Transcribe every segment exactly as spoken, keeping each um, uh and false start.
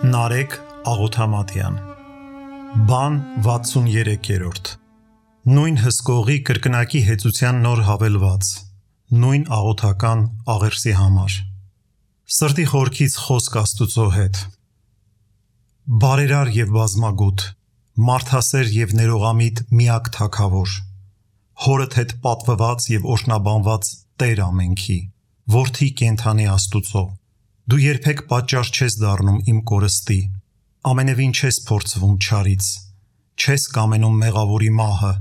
Նարեկ Աղոթամատյան Բան վաթսուններորդ Նույն հսկողի կրկնակի հեծության նոր հավելված Նույն աղոթական աղերսի համար Սրտի խորքից խոսք Աստուծո հետ Բարերար և բազմագութ Մարդասեր և ներողամիտ միակ թագավոր Հորդ հետ պատվված և օրհնաբանված Տեր ամենքի Որդի կենդանի Աստուծո Դու երբեք պատճառ չես դառնում իմ կորստի, ամենևին չես փորձվում չարից, չես կամենում մեղավորի մահը,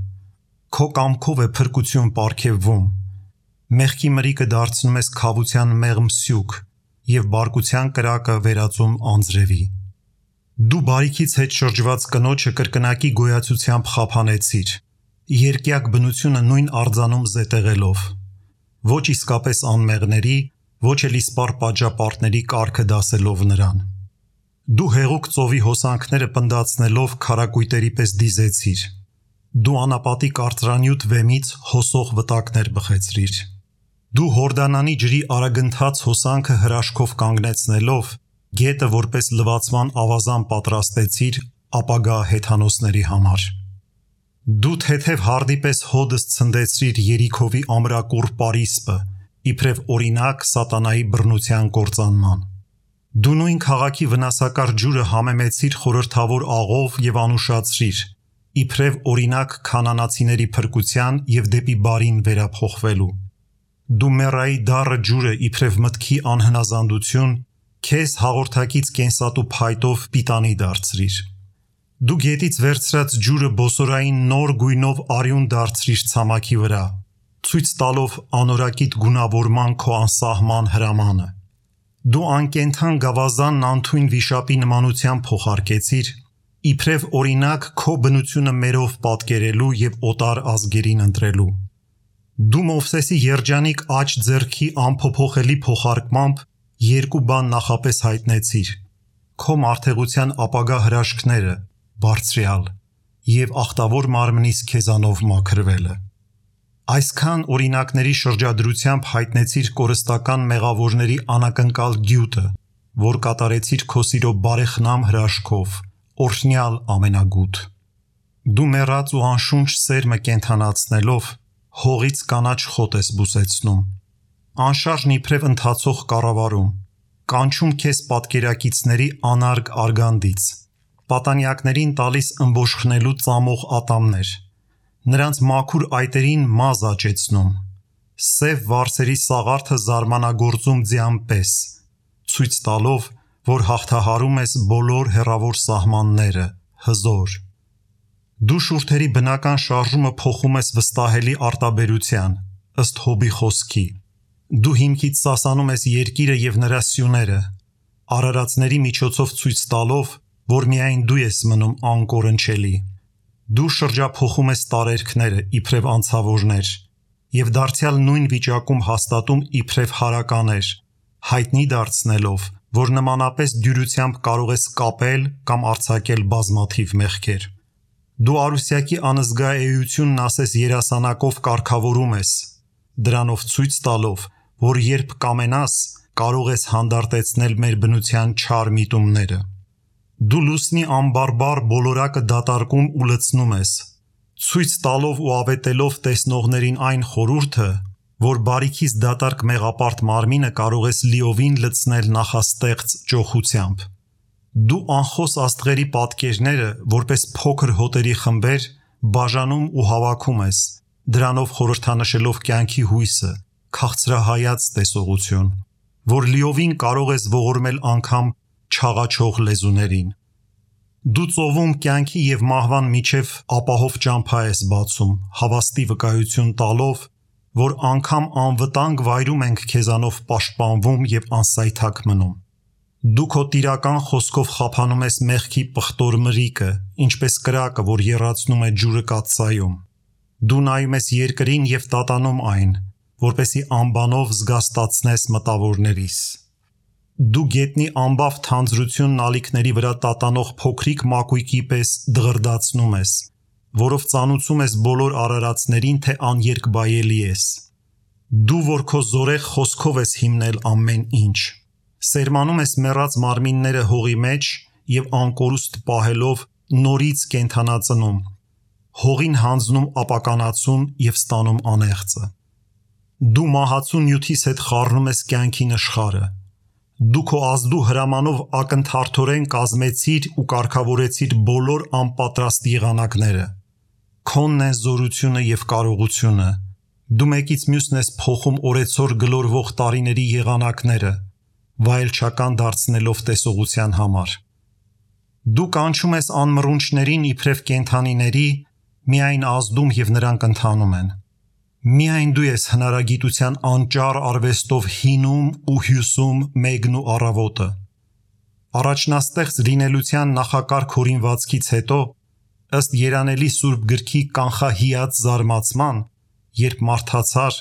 քո կամքով է փրկություն պարգևվում, մեղքի մրիկը դարձնում ես քավության մեղմ սյուք և բարկության կրակը վերածում անձրևի։ Դու բարիքից հետ շրջված կնոջը կրկնակի գոյացությամբ խափանեցիր, երկյակ բնությունը նույն արձանում զետեղելով, ոչ իսկապես անմեղների, ոչ էլ իսպառ պատժապարտների կարգը դասելով նրան։ Դու հեղուկ ծովի հոսանքները պնդացնելով քարակույտերի պես դիզեցիր։ Դու անապատի կարծրանյութ վեմից հոսող վտակներ բխեցրիր։ Դու Հորդանանի ջրի արագընթաց հոսանքը հրաշքով կանգնեցնելով, գետը որպես լվացման ավազան պատրաստեցիր ապագա հեթանոսների համար։ Դու թեթև հարդի պես հոդս ցնդեցրիր Երիքովի ամրակուռ պարիսպը, իբրև օրինակ սատանայի բռնության կործանման։ Դու նույն քաղաքի վնասակար ջուրը համեմեցիր խորհրդավոր աղով և անուշացրիր, իբրև օրինակ քանանացիների փրկության և դեպի բարին վերափոխվելու։ Դու Մեռայի դառը ջուրը իբրև մտքի անհնազանդություն, քեզ հաղորդակից կենսատու փայտով պիտանի դարձրիր։ Դու գետից վերցրած ջուրը բոսորային նոր գույնով արյուն դարձրիր ցամաքի վրա, ցույց տալով անորակիտ գունավորման քո անսահման հրամանը։ Դու անկենդան գավազանն անթույն վիշապի նմանությամբ փոխարկեցիր, իբրև օրինակ քո բնությունը մերով պատկերելու և օտար ազգերին ընտրելու։ Դու Մովսեսի երջանիկ աջ ձեռքի անփոփոխելի փոխարկմամբ երկու բան նախապես հայտնեցիր. քո մարդեղության ապագա հրաշքները, բարձրյալ, և ախտավոր մարմնիս քեզանով մաքրվելը։ Այսքան օրինակների շրջադրությամբ հայտնեցիր կորստական մեղավորների անակնկալ գյուտը, որ կատարեցիր քո սիրո բարեխնամ հրաշքով, օրհնյալ ամենագութ։ Դու մեռած ու անշունչ սերմը կենդանացնելով, հողից կանաչ խոտ ես բուսեցնում, անշարժն իբրև ընթացող կառավարում, կանչում քեզ պատկերակիցների անարգ արգանդից, պատանյակներին տալիս ըմբոշխնելու ծամող ատամներ, նրանց մաքուր այտերին մազ աճեցնում, սև վարսերի սաղարթը զարմանագործում ձյան պես, ցույց տալով, որ հաղթահարում ես բոլոր հեռավոր սահմանները, հզոր։ Դու շուրթերի բնական շարժումը փոխում ես վստահելի արտաբերության, ըստ Հոբի խոսքի։ Դու հիմքից սասանում ես երկիրը և նրա սյուները, արարածների միջոցով ցույց տալով, որ միայն դու ես մնում անկորնչելի։ Դու շրջափոխում ես տարերքները իբրև անցավորներ և դարձյալ նույն վիճակում հաստատում իբրև հարականեր, հայտնի դարձնելով, որ նմանապես դյուրությամբ կարող ես կապել կամ արձակել բազմաթիվ մեղքեր։ Դու արուսյակի անզգա էությունն ասես երասանակով կարգավորում ես, դրանով ցույց տալով, որ երբ կամենաս, կարող ես հանդարտեցնել մեր բնության չար միտումները։ Դու լուսնի անբարբար բոլորակը դատարկում ու լցնում ես, ցույց տալով ու ավետելով տեսնողներին այն խորհուրդը, որ բարիքից դատարկ մեղապարտ մարմինը կարող ես լիովին լցնել նախաստեղծ ճոխությամբ։ Դու անխոս աստղերի պատկերները, որպես փոքր հոտերի խմբեր, բաժանում ու հավաքում ես, դրանով խորհրդանշելով կյանքի հույսը, քաղցրահայաց տեսողություն, որ լիովին կարող ես ողորմել անգամ չաղաչող լեզուներին։ Դու ծովում կյանքի և մահվան միջև ապահով ճամփա ես բացում, հավաստի վկայություն տալով, որ անգամ անվտանգ վայրում ենք քեզանով պաշտպանվում և անսայթակ մնում։ Դու քո տիրական խոսքով խափանում ես մեղքի պղտոր մրիկը, ինչպես կրակը, որ եռացնում է ջուրը կաթսայում։ Դու նայում ես երկրին և տատանում այն, որպեսզի անբանով զգաստացնես մտավորներիս։ Դու գետնի ամբավ թանձրությունն ալիքների վրա տատանող փոքրիկ մակույկի պես դղրդացնում ես, որով ծանուցում ես բոլոր արարածներին, թե աներկբայելի ես։ Դու, որ քո զորեղ խոսքով ես հիմնել ամեն ինչ, սերմանում ես մեռած մարմինները հողի մեջ եւ անկորուստ պահելով նորից կենթանացնում, հողին հանձնում ապականացուն եւ ստանում անեղծը։ Դու մահացու նյութիս հետ խառնում ես կյանքի նշխարը։ Դու քո ազդու հրամանով ակնթարթորեն կազմեցիր ու կարգավորեցիր բոլոր անպատրաստ եղանակները։ Քոնն են զորությունը եւ կարողությունը։ Դու մեկից մյուսն ես փոխում օրեցօր գլորվող տարիների եղանակները, վայելչական դարձնելով տեսողության համար։ Դու կանչում ես անմռունչներին իբրև կենդանիների, միայն ազդում եւ նրանք ընթանում են։ Միայն դու ես հնարագիտության անճար արվեստով հինում ու հյուսում մեկն ու առավոտը։ Առաջնաստեղծ լինելության նախակարգ հորինվածքից հետո, ըստ Երանելի Սուրբ գրքի կանխահիած զարմացման, երբ մարդացար,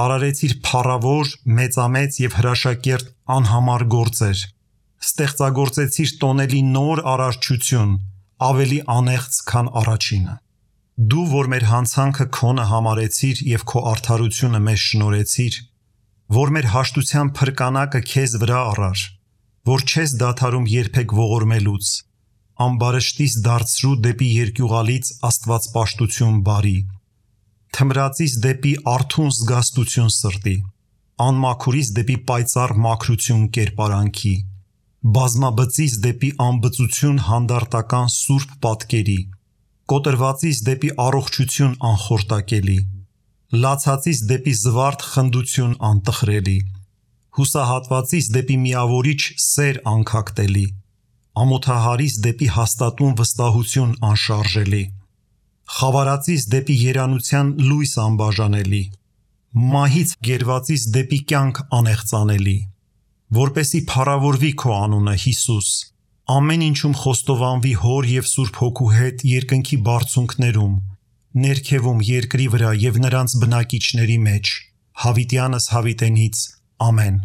արարեցիր փառավոր, մեծամեծ եւ հրաշակերտ անհամար գործեր, ստեղծագործեցիր տոնելի նոր արարչություն, ավելի անեղծ, քան առաջինը։ Դու, որ մեր հանցանքը քոնը համարեցիր եւ քո արդարությունը մեզ շնորհեցիր, որ մեր հաշտության փրկանակը քեզ վրա առար, որ չես դադարում երբեք ողորմելուց, ամբարշտից դարձրու դեպի երկյուղալից աստվածպաշտություն բարի, թմրածից դեպի արթուն զգաստություն սրտի, անմաքուրից դեպի պայծառ մաքրություն կերպարանքի, բազմաբծից դեպի անբծություն հանդարտական սուրբ պատկերի, կոտրվածից դեպի առողջություն անխորտակելի, լացածից դեպի զվարթ խնդություն անտխրելի, հուսահատվածից դեպի միավորիչ սեր անքակտելի, ամոթահարից դեպի հաստատուն վստահություն անշարժելի, խավարածից դեպի երանության լույս անբաժանելի, մահից գերվածից դեպի կյանք անեղծանելի, որպեսի փառավորվի քո անունը, Հիսուս, ամեն ինչում խոստովանվի Հոր եւ Սուրբ Հոգու հետ երկնքի բարձունքներում, ներքևում երկրի վրա եւ նրանց բնակիչների մեջ, հավիտյանս հավիտենից, ամեն։